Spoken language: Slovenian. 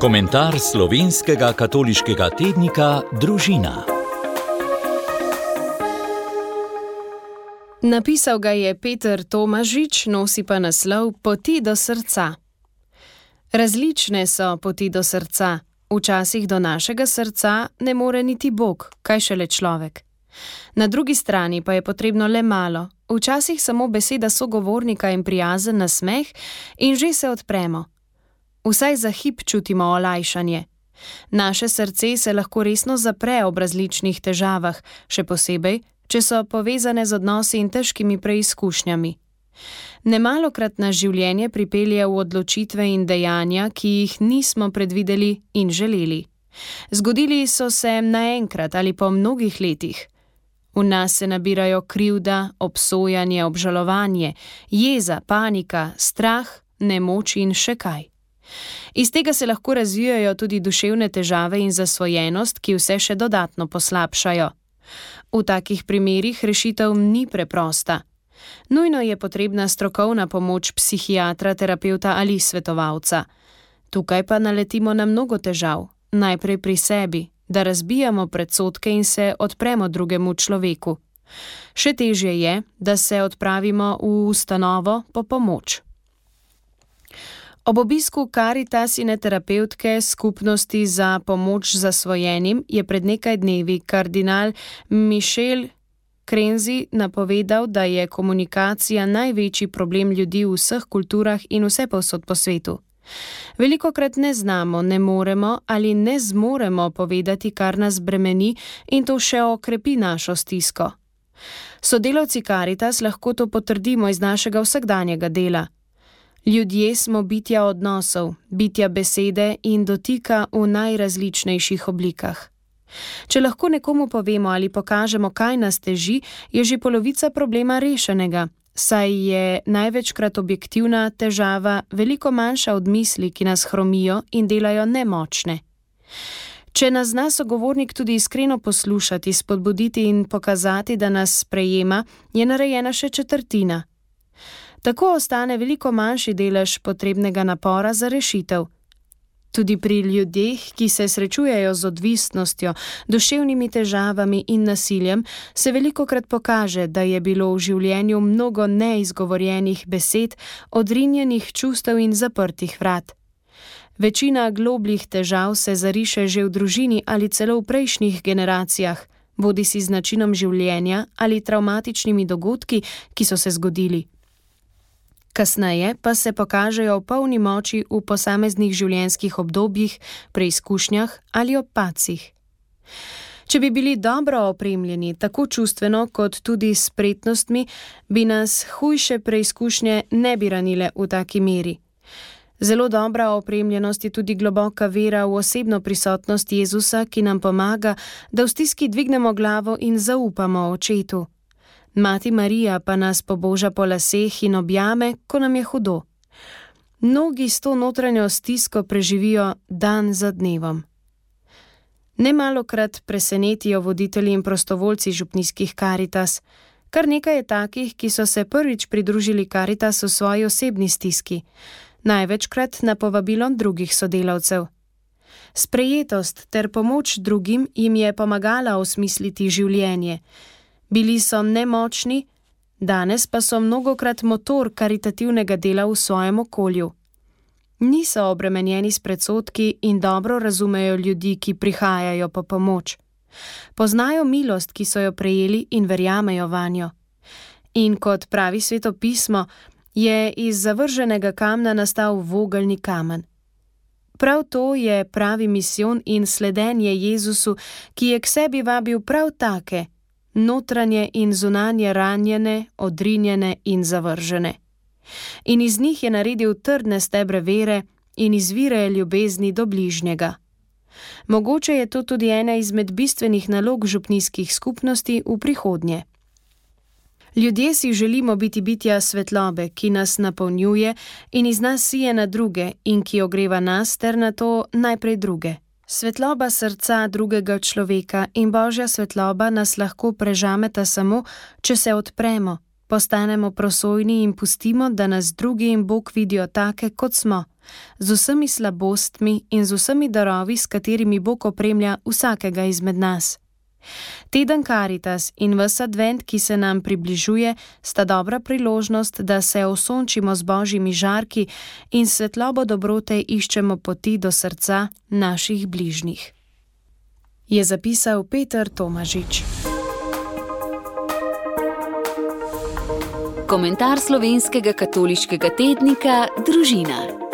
Komentar slovenskega katoliškega tednika Družina. Napisal ga je Peter Tomažič, nosi pa naslov Poti do srca. Različne so poti do srca. Včasih do našega srca ne more niti Bog, kaj šele človek. Na drugi strani pa je potrebno le malo, včasih samo beseda sogovornika in prijazen nasmeh in že se odpremo. Vsaj za hip čutimo olajšanje. Naše srce se lahko resno zapre ob različnih težavah, še posebej, če so povezane z odnosi in težkimi preizkušnjami. Nemalokrat nas življenje pripelje v odločitve in dejanja, ki jih nismo predvideli in želeli. Zgodili so se naenkrat ali po mnogih letih. V nas se nabirajo krivda, obsojanje, obžalovanje, jeza, panika, strah, nemoč in še kaj. Iz tega se lahko razvijajo tudi duševne težave in zasvojenost, ki vse še dodatno poslabšajo. V takih primerih rešitev ni preprosta. Nujno je potrebna strokovna pomoč psihiatra, terapevta ali svetovalca. Tukaj pa naletimo na mnogo težav, najprej pri sebi, da razbijamo predsodke in se odpremo drugemu človeku. Še težje je, da se odpravimo v ustanovo po pomoč. Ob obisku Karitasine terapevtke skupnosti za pomoč zasvojenim je pred nekaj dnevi kardinal Michel Krenzi napovedal, da je komunikacija največji problem ljudi v vseh kulturah in vsepovsod po svetu. Velikokrat ne znamo, ne moremo ali ne zmoremo povedati, kar nas bremeni, in to še okrepi našo stisko. Sodelavci Karitas lahko to potrdimo iz našega vsakdanjega dela. Ljudje smo bitja odnosov, bitja besede in dotika v najrazličnejših oblikah. Če lahko nekomu povemo ali pokažemo, kaj nas teži, je že polovica problema rešenega, saj je največkrat objektivna težava veliko manjša od misli, ki nas hromijo in delajo nemočne. Če nas zna sogovornik tudi iskreno poslušati, spodbuditi in pokazati, da nas sprejema, je narejena še četrtina. Tako ostane veliko manjši delež potrebnega napora za rešitev. Tudi pri ljudeh, ki se srečujejo z odvisnostjo, duševnimi težavami in nasiljem, se velikokrat pokaže, da je bilo v življenju mnogo neizgovorjenih besed, odrinjenih čustev in zaprtih vrat. Večina globljih težav se zariše že v družini ali celo v prejšnjih generacijah, bodisi z načinom življenja ali travmatičnimi dogodki, ki so se zgodili. Kasneje pa se pokažejo v polni moči v posameznih življenjskih obdobjih, preizkušnjah ali ob padcih. Če bi bili dobro opremljeni, tako čustveno kot tudi s spretnostmi, bi nas hujše preizkušnje ne bi ranile v taki meri. Zelo dobra opremljenost je tudi globoka vera v osebno prisotnost Jezusa, ki nam pomaga, da v stiski dvignemo glavo in zaupamo Očetu. Mati Marija pa nas poboža po laseh in objame, ko nam je hudo. Mnogi s to notranjo stisko preživijo dan za dnevom. Nemalokrat presenetijo voditelji in prostovoljci župnijskih Karitas. Kar nekaj je takih, ki so se prvič pridružili Karitas v svoji osebni stiski, največkrat na povabilo drugih sodelavcev. Sprejetost ter pomoč drugim jim je pomagala osmisliti življenje. Bili so nemočni, danes pa so mnogokrat motor karitativnega dela v svojem okolju. Niso obremenjeni s predsodki in dobro razumejo ljudi, ki prihajajo po pomoč. Poznajo milost, ki so jo prejeli in verjamejo vanjo. In kot pravi Sveto pismo, je iz zavrženega kamna nastal vogelni kamen. Prav to je pravi misijon in sledenje Jezusu, ki je k sebi vabil prav take, notranje in zunanje ranjene, odrinjene in zavržene. In iz njih je naredil trdne stebre vere in izvire ljubezni do bližnjega. Mogoče je to tudi ena izmed bistvenih nalog župnijskih skupnosti v prihodnje. Ljudje si želimo biti bitja svetlobe, ki nas napolnjuje in iz nas sije na druge in ki ogreva nas ter na to najprej druge. Svetloba srca drugega človeka in Božja svetloba nas lahko prežameta samo, če se odpremo, postanemo prosojni in pustimo, da nas drugi in Bog vidijo take, kot smo, z vsemi slabostmi in z vsemi darovi, s katerimi Bog opremlja vsakega izmed nas. Teden Karitas in ves advent, ki se nam približuje, sta dobra priložnost, da se osončimo z božjimi žarki in svetlobo dobrote iščemo poti do srca naših bližnjih. Je zapisal Peter Tomažič. Komentar slovenskega katoliškega tednika Družina.